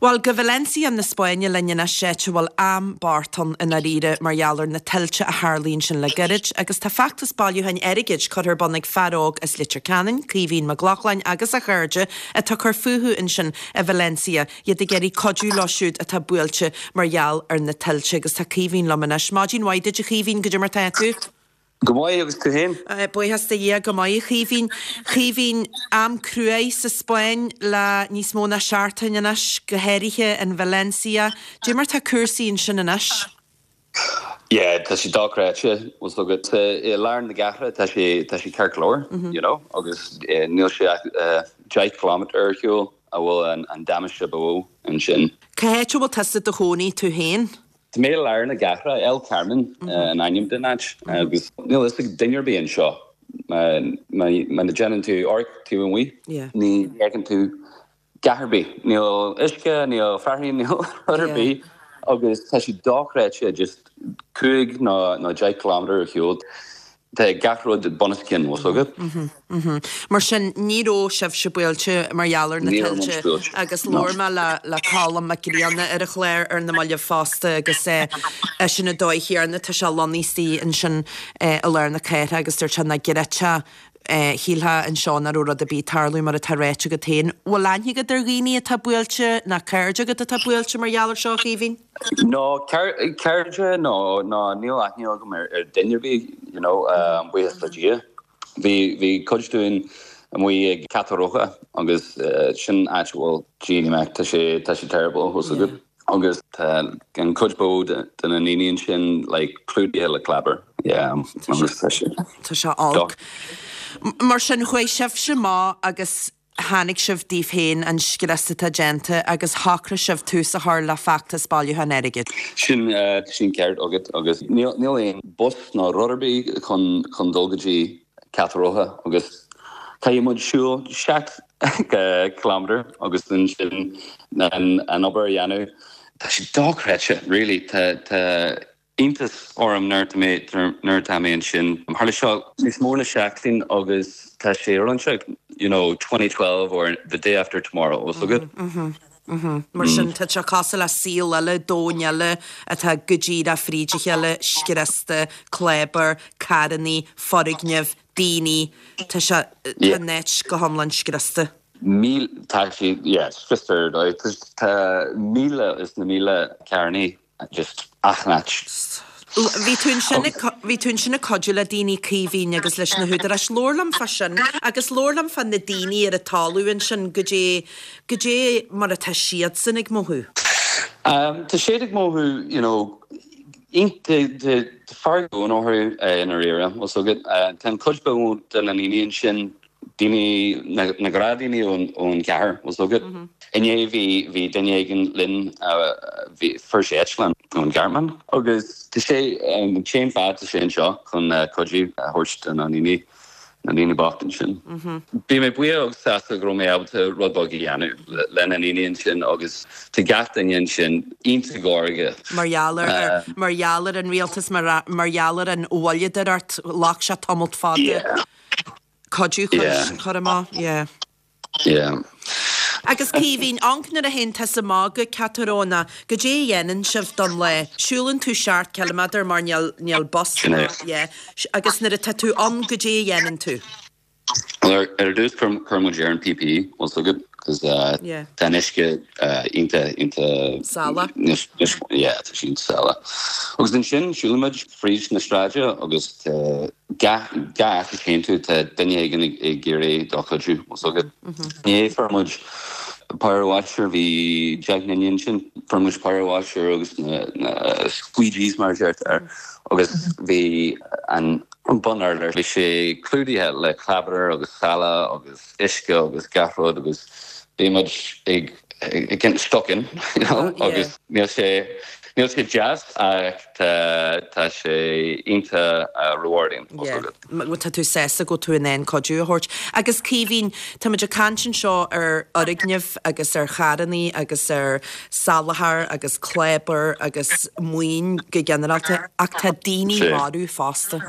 Bhuel, go Valencia na Spáinne linn anois, áit a bhfuil am bocht ann i ndáiríre mar gheall ar na tuilte a tharlaigh ansin le gairid, agus tá feachtas bailiúcháin airgid curtha ar bun ag fear óg as Leitir Ceanainn, Caoimhín Mac Lochlainn agus a chairde atá ag cur fúthu ansin i Valencia, iad ag iarraidh cuidiú leo siúd atá buailte mar gheall ar na tuilte. Agus tá Caoimhín liom anois. Maidin mhaith duit a Chaoimhín, goidé mar tá tú? Go maith, agus tú féin? Buíochas do Dhia, go maith, a Chaoimhín. Chaoimhín, am cruaidh sa Spáinn le níos mó ná seachtain anois, go háirithe in Valencia. Dé mar tá cúrsaí ansin anois? Yeah, tá sé dochreidte, bhfuil 's agat. I lár na gcathrach tá sé, tá sé ceart go leor, you know, agus níl sé ach 10 kilometre ar shiúl a bhfuil an damáiste ba mhó ansin. Cá háit a bhfuil tusa i do chónaí tú féin? Tá mé i lár na gcathrach, El Carmen an ainm den áit, agus níl fhios ag duine ar bith anseo. Má déanann tú amharc taobh amuigh, ní fheiceann tú dhath ar bith. Níl uisce, níl fearthainn, níl rud ar bith agus tá sé dochreidte, just 5 nó 10 kilometre ar shiúl. Tá gach rud bunoscionn, bhfuil 's agat. Mar sin, ní raibh sibhse buailte mar gheall ar na tuilte agus labhair mé le Colm Mac Grianna ar an chlár ar na mallaibh fosta agus eisean an dóigh chéanna, tá sé lonnaithe istigh ansin i lár na cathrach agus dúirt sé nach gcreidfeá, shílfeá anseo nach raibh rud ar bith ag tarlú mar atá ráite agat féin. Bhfuil aithne agat ar dhaoine atá buailte, ná cairde agat atá buailte mar gheall ar seo, a Chaoimhín? No, cairde, no, no, níl aithne agam ar duine ar bith, you know, buíochas le Dia. Bhí, bhí cuid dúinn amuigh ag Catarroja agus sin áit a bhfuil, gee mate, tá sé, tá sé terrible, bhfuil 's agat. Agus tá an cuid ba mhó de na ndaoine ansin like clúdaithe le clábar, yeah, agus tá sé. Tá sé olc. Mar sin, chuaigh sibhse amach agus Chonaic sibh daoibh féin an scrios atá déanta agus shocraigh sibh tús a chur le feachtas bailiúcháin airgid. Sin, sin ceart agat agus níl aon bus ná rud ar bith chun, chun dul go dtí Catarroja agus caithfidh muid siúl 7 kilometre agus ansin an, an obair a dhéanamh. Tá sé dochreidte, really. Tá, tá. iontas orm nuair atá mé nuair atá mé ansin. Tharla seo níos mó na seachtain agus tá sé roinnte you know 2012 or the day after tomorrow bhfuil 's agat. Mar sin tá sé cosúil le saol eile, domhan eile atá go díreach fríd a chéile, scriosta, clábar, carrannaí, foirgnimh, daoine, tá sé, tá an áit go hiomlán scriosta. Míle, tá sé, yeah, scriosta ar dóigh. Tá míle is na míle carrannaí just achan áit. Bhí tú ansin ag, bhí tú ansin ag cuidiú le daoine Caoimhín agus leis na húdaráis. Labhair liom fá sin agus labhair liom fá na daoine ar an talamh ansin, goidé, goidé mar atá siadsan ag mothú. Tá siad ag mothú, you know, tá fearg orthu i ndáiríre, bhfuil 's agat. Tá an chuid ba mhó de na ndaoine ansin daoine, na gnáthdhaoine ón chathair, bhfuil 's agat. Inné bhí, bhí duine éigin linn, bhí, fuair sé eitleán ón Ghearmáin agus tá sé, an t-aon fáth tá sé anseo chun cuidiú a thabhairt do na ndaoine, na ndaoine bocht ansin. Bhí mé buíoch agus sásta go raibh mé ábalta rud beag a dhéanamh le na ndaoine ansin agus tá gach duine ansin iontach gairge. Mar gheall ar, mar gheall ar an rialtas, mar, mar gheall ar an mhoilleadóireacht, ghlac sé tamalt fada. Yeah. Cuidiú Yeah. chur amach, yeah. Yeah. Agus Caoimhín, amharc nuair a théann tusa amach go Catarroja, goidé a dhéanann sibh don lá? Siúlann tú seacht ciliméadar mar níl, níl bus Sin é. yeah. Agus nuair atá tú ann, goidé a dhéanann tú? Well, ar, ar dtús cuir, cuir muid ar an PPE, bhfuil 's agat, cos uh, Yeah. tá an uisce uh, iontach, iontach, Salach. níos, níos, yeah, tá sé iontach salach. Agus ansin siúlann muid fríd na sráide agus tá Gach áit a théann tú tá duine éigin ag iarraidh do chuidiú, bhfuil 's agat. Inné fuair muid power washer, bhí 10 nduine ansin, fuair muid power washer agus na squeegees mar a deirtear agus bhí an bun urlár, bhí sé clúdaithe le clábar agus salach agus uisce agus gach rud agus bhí muid ag getting stuck in, you know, agus níl sé, níl sé deas ach tá, tá sé iontach rewarding, bhfuil 's agat. Yeah, tá tú sásta go bhfuil tú in ann cuidiú a thabhairt. Agus Caoimhín, tá muid ag caint anseo ar fhoirgnimh agus ar charrannaí agus ar salachar agus clábar agus maoin go ginearálta ach tá daoine marbh fosta.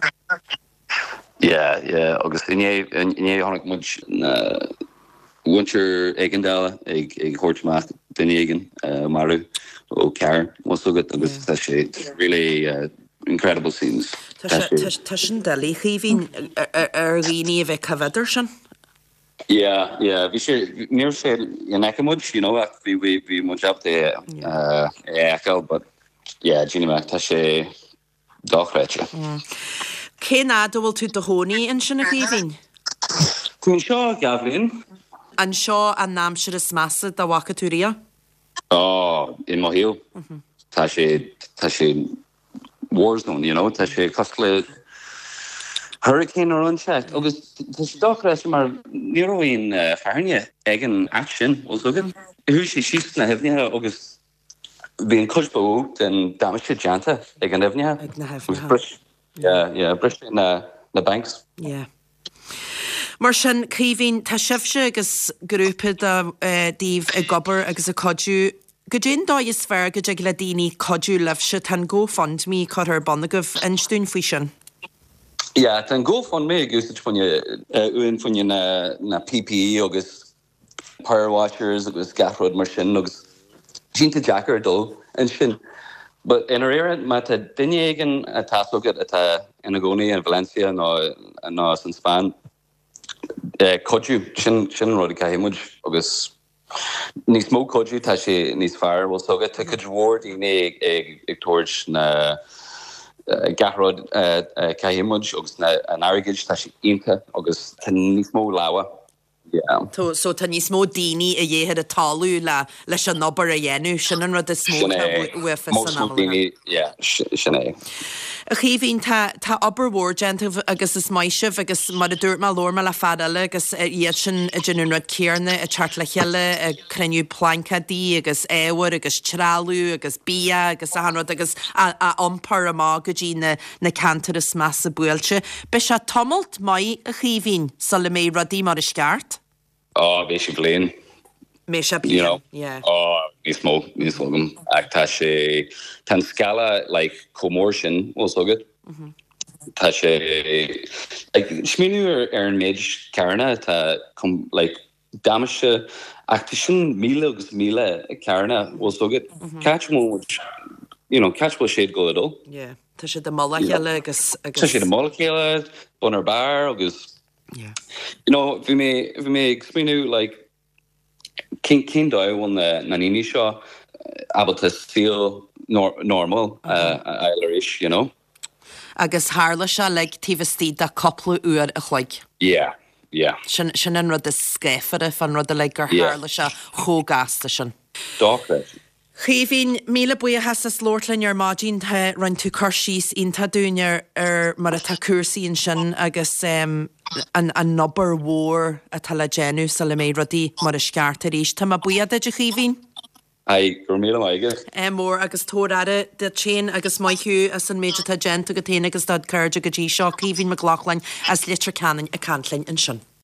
Yeah, yeah, agus inné, inné chonaic muid na muintir éigeandála ag, ag thabhairt amach. duine éigin a marú ó carr, bhfuil 's agat agus tá sé really incredible scenes. Tá sin doiligh, a Chaoimhín, ar dhaoine a bheith coimhéad air sin. Yeah, yeah, bhí sé, ní raibh sé in aice muid, you know, ach bhí, bhí, bhí muid ábalta é a fheiceáil, but yeah, Jeannie Mac, tá sé dochreidte. Cén fhad a bhfuil tú i do chónaí ansin, a Chaoimhín? Tá mé anseo dhá bhliain. An seo an aimsir is measa dá bhfaca tú riamh? Ó, i mo shaol. Tá sé, tá sé war zone, you know, tá sé cosúil le hurricane nó rud inteacht agus tá sé dochreidte mar ní raibh aon fearthainne ag an áit sin, bhfuil 's agat. Chuaigh sé síos sna haibhneacha agus bhí an cuid ba mhó den damáiste déanta ag an aibhneacha. Ag na haibhneacha. Bhris, yeah, yeah, bhris sé na, na banks. Yeah. Mar sin, Caoimhín, tá sibhse agus grúpa daoibh ag obair agus ag cuidiú. Goidé an dóigh is fearr go dtig le daoine cuidiú libhse? Tá an GoFundMe curtha ar bun agaibh. Inis dúinn faoi sin. Yeah, tá an GoFundMe ag úsáid fá choinne, uainn fá choinne na, na PPE agus power washers agus gach rud mar sin agus tá sé iontach deacair dul ansin. But i ndáiríre má tá duine éigin atá 's agat atá ina gcónaí in Valencia nó nó san Spáinn, cuidiú, sin sin an rud a caithfidh muid agus níos mó cuidiú tá sé níos fearr, bhfuil 's agat, tá cuid mhór daoine ag ag ag tabhairt na gach rud a caithfidh muid agus na an airgid tá sé iontach agus tá níos mó lámha. Yeah. So tá níos mó daoine a dhíth ar an talamh le leis an obair a dhéanamh. Sin an rud is mó atá uafa san am i láthair. Yeah, sin é. A Chaoimhín, tá tá obair mhór déanta agaibh agus is maith sibh agus mar a dúirt mé, labhair mé le fear eile agus iad sin ag déanamh an rud céarna, ag teacht le chéile, ag cruinniú plaincéadaí agus ábhair agus trealamh agus bia agus achan rud agus á á iompar amach go dtí na na ceantair is measa buailte. Beidh sé tamalt maith, a Chaoimhín, sula mbeidh rudaí mar is ceart. Ó, beidh sé bliain. Mbeidh sé bliain, yeah. Ó, níos mó, níl 's agam. Ach tá sé, tá an scála, like, chomh mór sin, bhfuil 's agat. Tá sé, like, smaoineamh ar, ar an méid carranna atá, like, damáiste ach tá sin míle agus míle carranna, bhfuil 's agat. Cá háit a bhfuil muid, you know, cá háit a bhfuil siad ag dul a dhul? Yeah, tá siad i mullach a chéile agus, agus. Tá siad i mullach a chéile, bun ar barr agus, Yeah. you know, bhí mé, bhí mé ag smaoineamh like, cén, cén dóigh a bhfuil na, na ndaoine seo ábalta saol normal a fháil arís, you know? Agus tharla sé uilig taobh istigh de cúpla uair a chloig. Yeah, yeah. Sin, sin an rud is scáfara fán rud uilig, gur tharla sé chomh gasta sin. Dochreidte. Chaoimhín, míle buíochas as labhairt linn ar maidin. Tá, rinne tú cur síos iontach dúinn ar, ar mar atá cúrsaí ansin agus an, an obair mhór atá le déanamh sula mbeidh rudaí mar is ceart arís. Tá mé buíoch duit, a Chaoimhín. Aye, go raibh míle maith agat. Ádh mór agus tabhair aire duit féin agus maith thú as an méid atá déanta agat féin agus dod chairde go dtí seo. Caoimhín Mac Lochlainn as Leitir Ceanainn ag caint linn ansin.